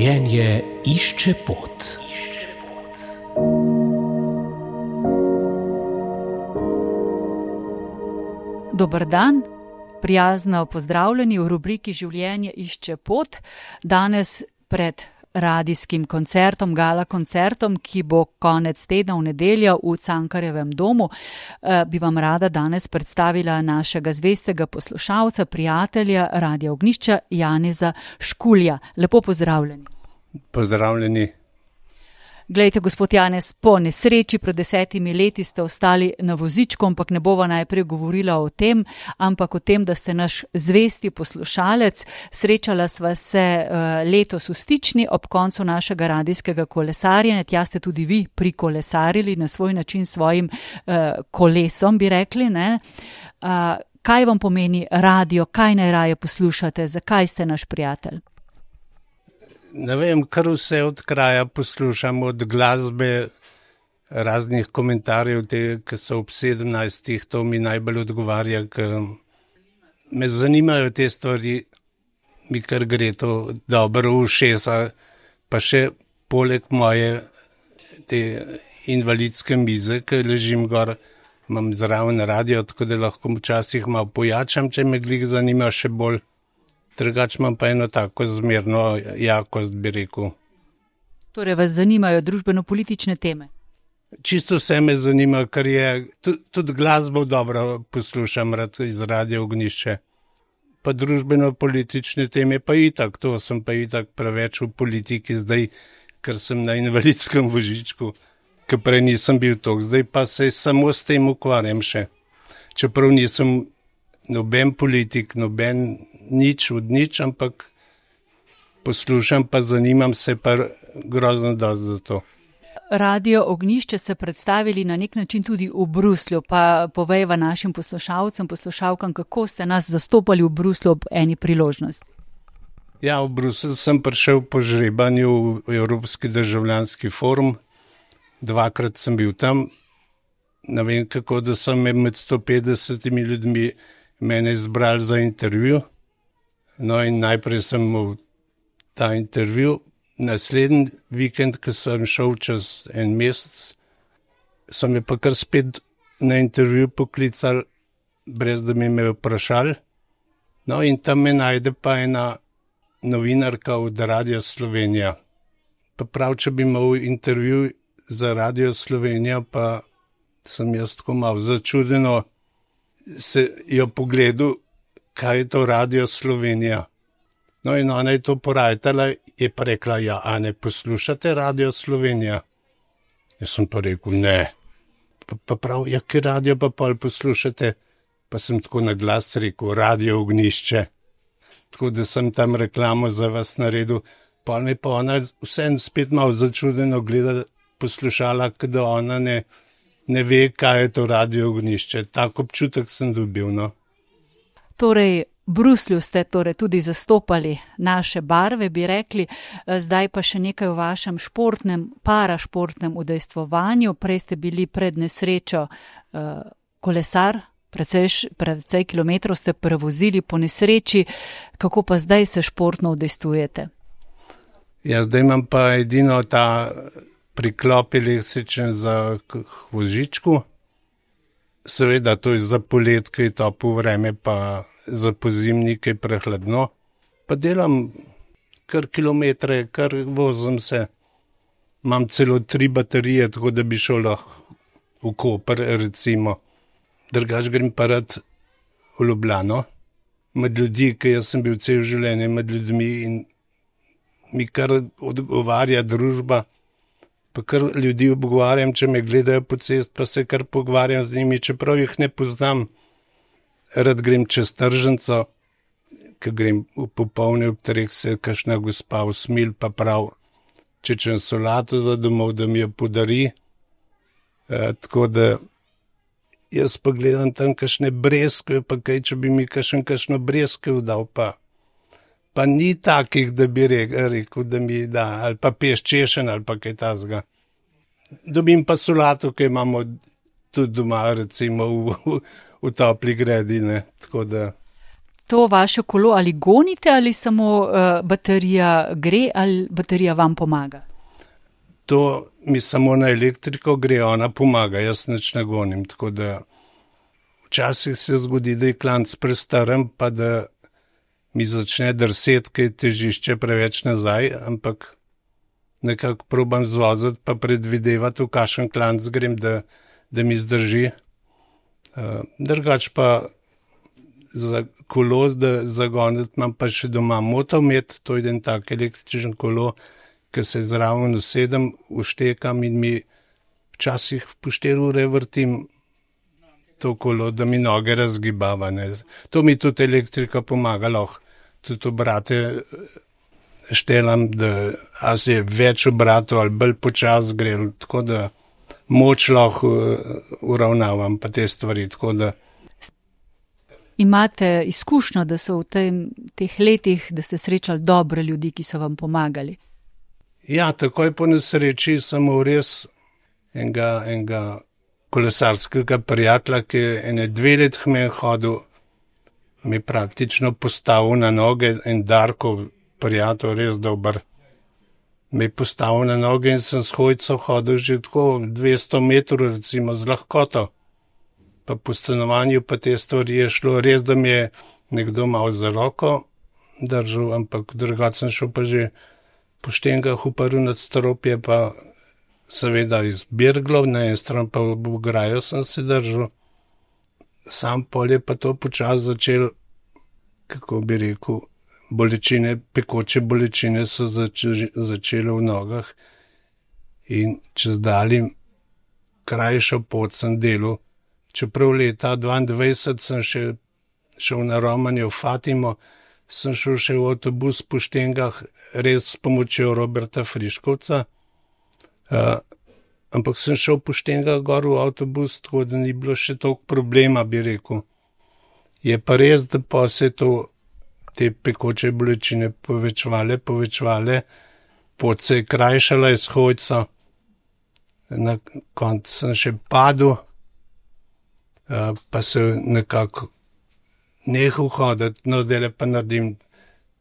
Življenje išče pot. Dober dan, prijazno pozdravljeni v rubriki Življenje išče pot. Danes pred radijskim koncertom, gala koncertom, ki bo konec tedna v nedeljo v Cankarjevem domu, bi vam rada danes predstavila našega zvestega poslušalca, prijatelja Radia Ognjišča, Janeza Škulja. Lepo pozdravljeni. Pozdravljeni. Glejte, gospod Janez, po nesreči pred 10 leti ste ostali na vozičku, ampak ne bova najprej govorila o tem, ampak o tem, da ste naš zvesti poslušalec. Srečala sva se letos v Stični ob koncu našega radijskega kolesarjenja. Tja ste tudi vi prikolesarili na svoj način svojim kolesom, bi rekli, ne? Kaj vam pomeni radio, kaj najraje poslušate, zakaj ste naš prijatelj? Ne vem, kar vse od kraja poslušam, od glasbe, raznih komentarjev, ki so ob 17, to mi najbolj odgovarja, ker me zanimajo te stvari, mi kar gre to dobro v ušesa, pa še poleg moje te invalidske mize, ki ležim gor, imam zraven radio, tako da lahko včasih malo pojačam, če me glih zanima še bolj. Drugače imam pa eno tako zmerno jakost, bi rekel. Torej vas zanimajo družbeno-politične teme? Čisto vse me zanima, ker je, tudi glasbo dobro poslušam rad iz Radia Ognjišče. Pa družbeno-politične teme pa itak, to sem pa itak preveč v politiki zdaj, ker sem na invalidskem vozičku, ker prej nisem bil toliko, zdaj pa se samo s tem ukvarjam še. Čeprav nisem noben politik, noben nič od nič, ampak poslušam pa zanimam se pa grozno dosti za to. Radio Ognjišče se predstavili na nek način tudi v Bruslju, pa povejva našim poslušalcem, poslušalkam, kako ste nas zastopali v Bruslju ob eni priložnosti. Ja, v Bruslju sem prišel po žrebanju v Evropski državljanski forum, 2-krat sem bil tam, ne vem kako, da so me med 150 ljudmi mene izbrali za intervju. No in najprej sem imel ta intervju, naslednji vikend, ko sem šel čez en mesec, so me pa kar spet na intervju poklicali, brez da mi me vprašali. No in tam me najde pa ena novinarka od Radia Slovenija. Pa prav, če bi imel intervju za Radio Slovenijo, pa sem jaz tako malo začudeno se jo pogledal, kaj je to Radio Slovenija. No in ona je to porajtala, je pa rekla, ja, a ne poslušate Radio Slovenija? Jaz sem pa rekel, ne. Pa prav, ja, ki radio pa pol poslušate? Pa sem tako na glas rekel, Radio Ognjišče. Tako da sem tam reklamo za vas naredil. Pol me pa ona vseeno spet malo začudeno gleda, poslušala, da ona ne ve, kaj je to Radio Ognjišče. Tak občutek sem dobil, no. Torej, v Bruslju ste torej tudi zastopali naše barve, bi rekli, zdaj pa še nekaj o vašem športnem, parašportnem udejstvovanju. Prej ste bili pred nesrečo kolesar, precej kilometrov ste prevozili po nesreči, kako pa zdaj se športno udejstvujete? Ja, zdaj imam pa edino ta priklop električen za vozičku. Seveda, to je za polet, ki je toplo vreme, pa za pozimnik je prehladno. Pa delam kar kilometre, kar vozim se. Imam celo 3 baterije, tako da bi šel lahko v Koper, recimo. Drugač grem pa rad v Ljubljano, med ljudi, ki jaz sem bil cel življenje med ljudmi in mi kar odgovarja družba. Pa kar ljudi obgovarjam, če me gledajo po cest, pa se kar pogovarjam z njimi, čeprav jih ne poznam. Rad grem čez tržnico, ko grem v popoldne ob 3, se kakšna gospa usmil, pa prav, če čem solato za domov, da mi jo podari. Tako da jaz pa gledam tam kakšne breskve, pa kaj, če bi mi kakšno breskve dal, pa ni takih, da bi rekel, da mi da, ali pa peščešen, ali pa kaj tazga. Dobim pa solato, ki imamo tudi doma, recimo v topli gredi, ne, tako da. to vaše kolo ali gonite ali samo baterija gre ali baterija vam pomaga? To mi samo na elektriko gre, ona pomaga, jaz nič ne gonim, tako da včasih se zgodi, da je klanc prestaren, pa da mi začne drseti, ker je težišče preveč nazaj, ampak nekako probam zvoziti, pa predvidevati, v kakšen klanc grem, da mi zdrži. Drugač pa za kolo, da zagoniti, imam pa še doma motomet, to je en tak električen kolo, ki se zraven usedem, uštekam in mi včasih po 4 ure vrtim to kolo, da mi noge razgibava. Ne. To mi tudi elektrika pomaga, lahko tudi obrate štelam, da je več obratov ali bolj počas gre, tako da moč lahko uravnavam pa te stvari, tako da. Imate izkušnjo, da so v teh letih, da ste srečali dobre ljudi, ki so vam pomagali? Ja, takoj po nesreči sem imel res enega kolesarskega prijatelja, ki je 2 leti me hodil, mi praktično postavil na noge, en Darko prijatelj, res dober. Me je postavil na noge in sem s hojco hodil že tako 200 metrov, recimo, z lahkoto. Pa po stanovanju pa te stvari je šlo, res, da mi je nekdo malo za roko držal, ampak drugače sem šel pa že po štengah uprl nad stropje, pa seveda iz Birglov, na en stran pa v ograjo sem se držal. Sam pol je pa to počas začel, kako bi rekel, bolečine, pekoče bolečine so začele v nogah in čez daljim krajšo pot sem delal. Čeprav leta 22 sem še šel na romanje v Fatimo, sem šel še v avtobus po štengah, res s pomočjo Roberta Friškovca, ampak sem šel po štengah gor v avtobus, tako da ni bilo še toliko problema, bi rekel. Je pa res, da pa se te pekoče bolečine povečevale, pot se je krajšala iz hojca, na koncu sem še padel, pa se nekako nehal hoditi, no zdaj pa naredim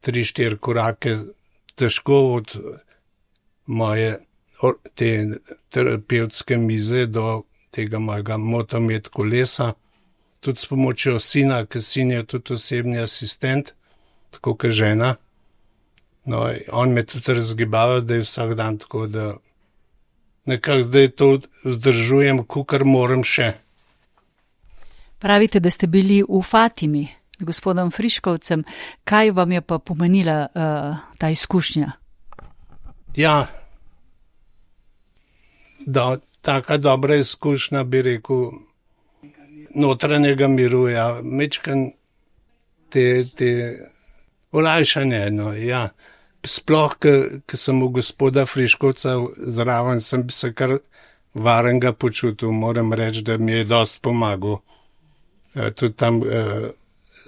3-4 korake težko od moje te terapevtske mize do tega mojega motomet kolesa, tudi s pomočjo sina, ker sin je tudi osebni asistent, tako kot žena. No, on me tudi razgibava zdaj vsak dan, tako da nekako zdaj to vzdržujem, kakor moram še. Pravite, da ste bili v Fatimi s gospodom Friškovcem. Kaj vam je pa pomenila ta izkušnja? Ja, taka dobra izkušnja, bi rekel, notranjega miru, ja, mečkan te olajšanje, no, ja. Sploh, ko sem v gospoda Friškovca zraven, sem se kar varenga počutil, moram reči, da mi je dosti pomagal. Tudi tam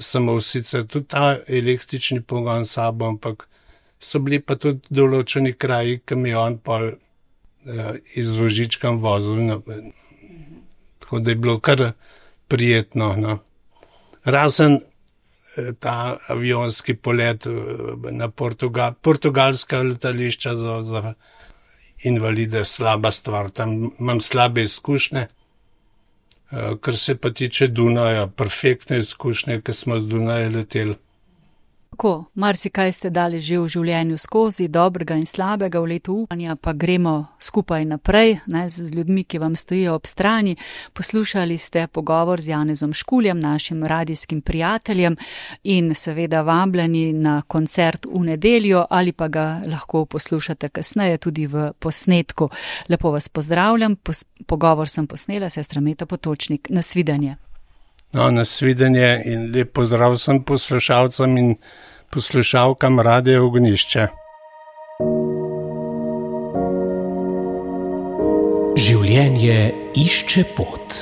sem imel sicer tudi ta električni pogon s sabo, ampak so bili pa tudi določeni kraji, ki mi je on pol iz vožičkam vozil. No. Tako da je bilo kar prijetno. No. Razen ta avionski polet na portugalska letališča za invalide, slaba stvar. Tam imam slabe izkušnje. Kar se pa tiče Dunaja, perfektne izkušnje, ker smo z Dunaja leteli. Tako, marsikaj ste dali že v življenju skozi, dobrega in slabega, v letu upanja, pa gremo skupaj naprej, ne, z ljudmi, ki vam stojijo ob strani. Poslušali ste pogovor z Janezom Škuljem, našim radijskim prijateljem, in seveda vabljeni na koncert v nedeljo, ali pa ga lahko poslušate kasneje tudi v posnetku. Lepo vas pozdravljam, pogovor sem posnela, sestra Meta Potočnik. Nasvidenje. No, nasvidenje in lep pozdrav sem poslušalcem in poslušalkam Radia Ognjišče. Življenje išče pot.